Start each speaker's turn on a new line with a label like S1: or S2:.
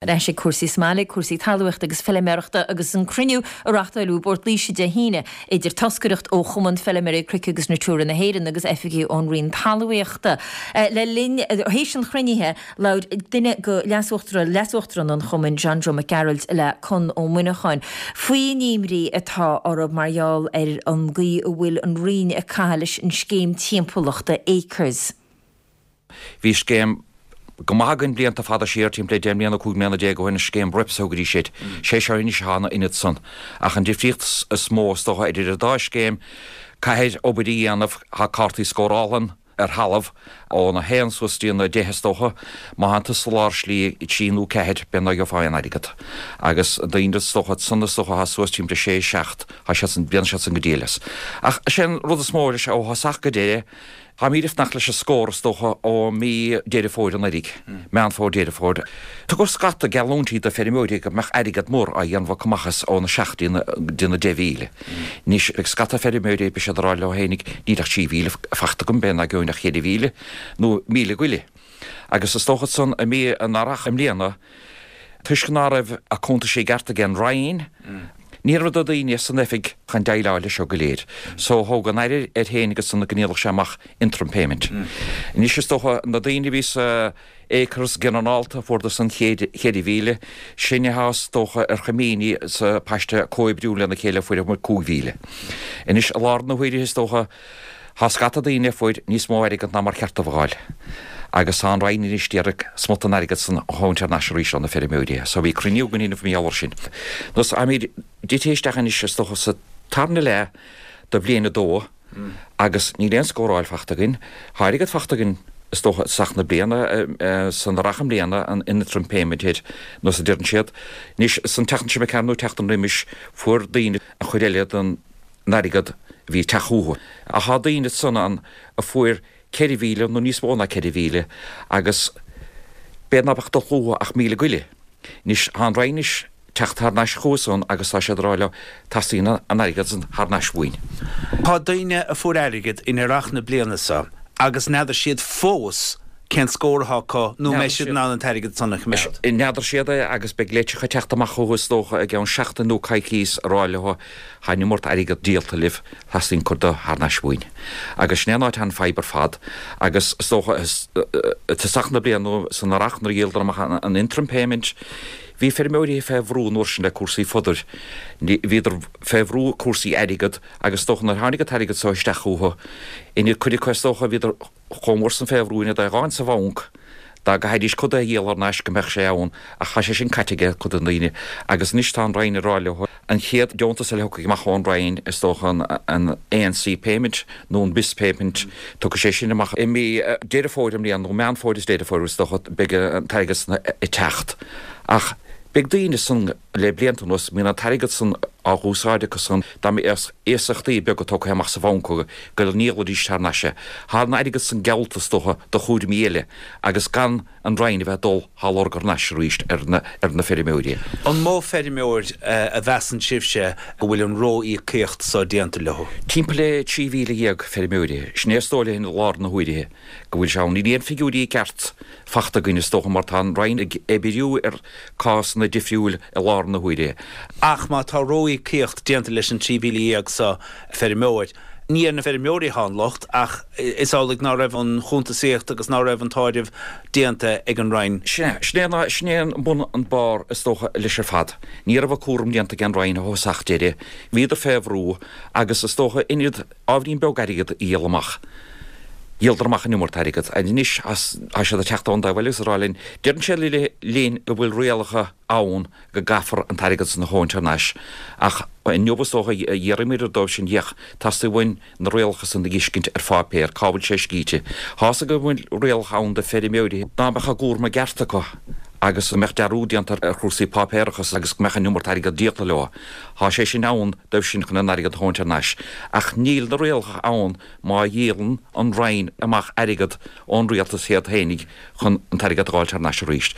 S1: Ar ais ag cúrsaí sa mbaile, cúrsaí talmhaíochta agus feiliméarachta agus an cruinniú a reáchtáileadh i bPort Laoise Dé hAoine idir toscaireacht ó Chumann Feiliméaraí Cnoic agus Natura na hÉireann agus oifigigh ón Roinn Talmhaíochta. Le linn, théis an chruinnithe, labhair duine de leasuachtarán an chumainn, John Joe Mac Gearailt le Conn Ó Muineacháin faoin imní atá orthu mar gheall ar an gcaoi a bhfuil an Roinn ag caitheamh leis an scéim timpeallachta Acres.
S2: Bhí scéim go maith againn blianta fada siar, timpeall le 10 mbliana, 15 mbliana ó shin, an scéim RIPS a thugaidís air. Sé seo anois atá ina ionad san. Ach an difríocht is mó is dócha idir an dá scéim, caithfir obair a dhéanamh, tá cártaí scórála ann ar thalamh, ón 1 suas dtí an 10 is dócha, má thánn tusa i lár slí 3 nó 4, b'fhéidir ná gheofá aon airgead. Agus daoine is dócha san is dócha atá suas timpeall le 6, 7, tá siad san, bíonn siad san go diail as. Ach is é an rud is mó leis ó thosach go deireadh, Táimid ag fanacht leis an scór is dócha ó mí Deireadh Fómhair anuraidh, Meán Fómhair, Deireadh Fómhair. Tugadh scata geallúintí do feirmeoirí go mbeadh airgead mór á dhéanamh acu amach as óna 7 dtí na 10,000. Anois beidh scata feirmeoirí, beidh siad ag rá leo fhéinig, níl ach 3,000 fachta agam, b'fhéidir ná gheobhainn ach 4,000 nó 1,000 go leith. Agus is dócha ansan i mí an Earrach i mbliana, toisc ná raibh a cuntaisí i gceart ag an Roinn, ní raibh na daoine san oifig chun déileáil leis seo go léir. So thóg an Aire air féin agus san go ndíolfadh sé amach interim payment. Anois is dócha na daoine a bhí sa Acres ginearálta fuaireadar san 4,000, sinne atá is dócha ar choimíní sa paiste comhoibriú lena chéile fuair muid 5,000. Anois i láthair na huaire is dócha, Tá scata daoine a fuair níos mó airgead ná mar cheart dóibh a fháil agus tá an Roinn anois d'iarraidh smut den airgead san a thabhaint thar n-ais arís ó na feirmeoirí. So bhí cruinniú againn inniu mar gheall air sin. Nós táimid tite isteach anois is dócha sa tarna leath de bhliain a dó agus níl aon scóráil fachta againn. Tá airgead fachta againn is dócha i dtosach na bliana, san earrach i mbliana, an interim payment air nós a deireann siad. Anois san tseachtain seo imigh thart nó tseachtain roimis fuair daoine an chuid eile den n-airgead a bhí ag teacht chucu. Ach tá daoine ansan ann a fuair 4,000 nó níos mó ná 4,000 agus b'fhéidir ná beadh ag dul chucu ach 1,000 go leith. Anois, tá an Roinn anois teacht thar n-ais chucu san agus tá siad ag rá leo, teastaíonn an airgead san thar n-ais uainn.
S3: Tá daoine a fuair airgead in earrach na bliana seo agus n'fheadar siad fós cén scór atá acu nó an mbeidh siad in ann an t-airgead san a choimeád.
S2: N'fheadar siad é agus beidh litreacha ag teacht amach chucu is dócha i gceann seachtain nó coicíos ag rá leo Tá an iomart airgead díolta libh, theastaíonn cuid de thar n-ais uainn. Agus sin é an áit atá an fadhb ar fad. Agus is dócha, i tosach na bliana nó san earrach nuair a dhíoladar amach an interim payment, bhí feirmeoirí fé bhrú an uair sin le cúrsaí fodair. Bhíodar fé bhrú cúrsaí airgead agus is dócha nuair a tháinig an t-airgead so isteach chucu, ina cuid acu is dócha, bhíodar chomh mór san fé bhrú in iad é a dh'fháint sa bhanc dá gcaithfidís cuid de a dhíol thar n-ais go mbeadh sé ann ach tá sé sin caite aige cuid de na daoine agus anois tá an Roinn ag rá leo an chéad deontas eile a thiocfaidh amach ón Roinn is dócha an ANC payment nó an BIS payment tiocfaidh sé sin amach i mí Deireadh Fómhair i mbliana nó Meán Fómhair is Deireadh Fómhair is dócha beidh an t-airgead san ag teacht ach beidh daoine san le blianta anuas mbíonn an t-airgead san á dh'úsáid acu san dá mbeadh iasachtaí beaga tógtha amach sa bhanc acu go ndíolfaidís thar n-ais é. Tá an airgead san geallta is dócha do chúraimí eile agus gan an Roinn a bheith ag dul á lorg thar n-ais arís ar na ar na feirmeoirí.
S3: An mó feirmeoir a mheasann sibhse go bhfuil an ró-íocaíocht so déanta leo?
S2: Timpeall le 13,000 feirmeoirí. Sin é is dóigh linn i láthair na huaire go bhfuil sé ann. Níl aon figiúirí ceart fachta againn is dócha mar tá an Roinn ag oibriú ar cásanna difriúil i láthair na huaire.
S3: Ach má tá ró-íocaíocht déanta leis an 13,000 so feirmeoir, ní ar na feirmeoirí atá an locht ach is amhlaidh ná raibh an chuntasaíocht agus ná raibh an t-áireamh déanta ag an Roinn.
S2: Sin é, sin é, sin é an bun an barr is dócha leis ar fad. Ní raibh an cúram déanta ag an Roinn ó thosach deireadh. Bhíodar fé bhrú agus is dócha in ábhairín beag airgead a dhíol amach. Dhíoladar amach an iomart airgead. Anois tá siad ag teacht ón dtaobh eile agus ag rá linn, deireann siad linn go bhfuil rialacha ann go gcaithfear an t-airgead san a thabhaint thar n-ais. Ach inniu is dócha d'iarramar dóibh sin féach, teastaíonn uainn na rialacha san a dh'fheiscint ar pháipéar, cá bhfuil sé scríte. Tá's againn go bhfuil rialacha ann do feirmeoirí dá mbeadh a gcúram i gceart acu agus go mbeadh dearúd déanta ar chúrsaí páipéarachas agus go mbeadh an iomart airgead díolta leo. Tá sé sin ann dóibh sin chun an airgead a thabhaint thar n-ais. Ach níl na rialacha ann má dhíolann an Roinn amach airgead ón rialtas iad fhéinig chun an t-airgead a dh'fháilt thar n-ais arís.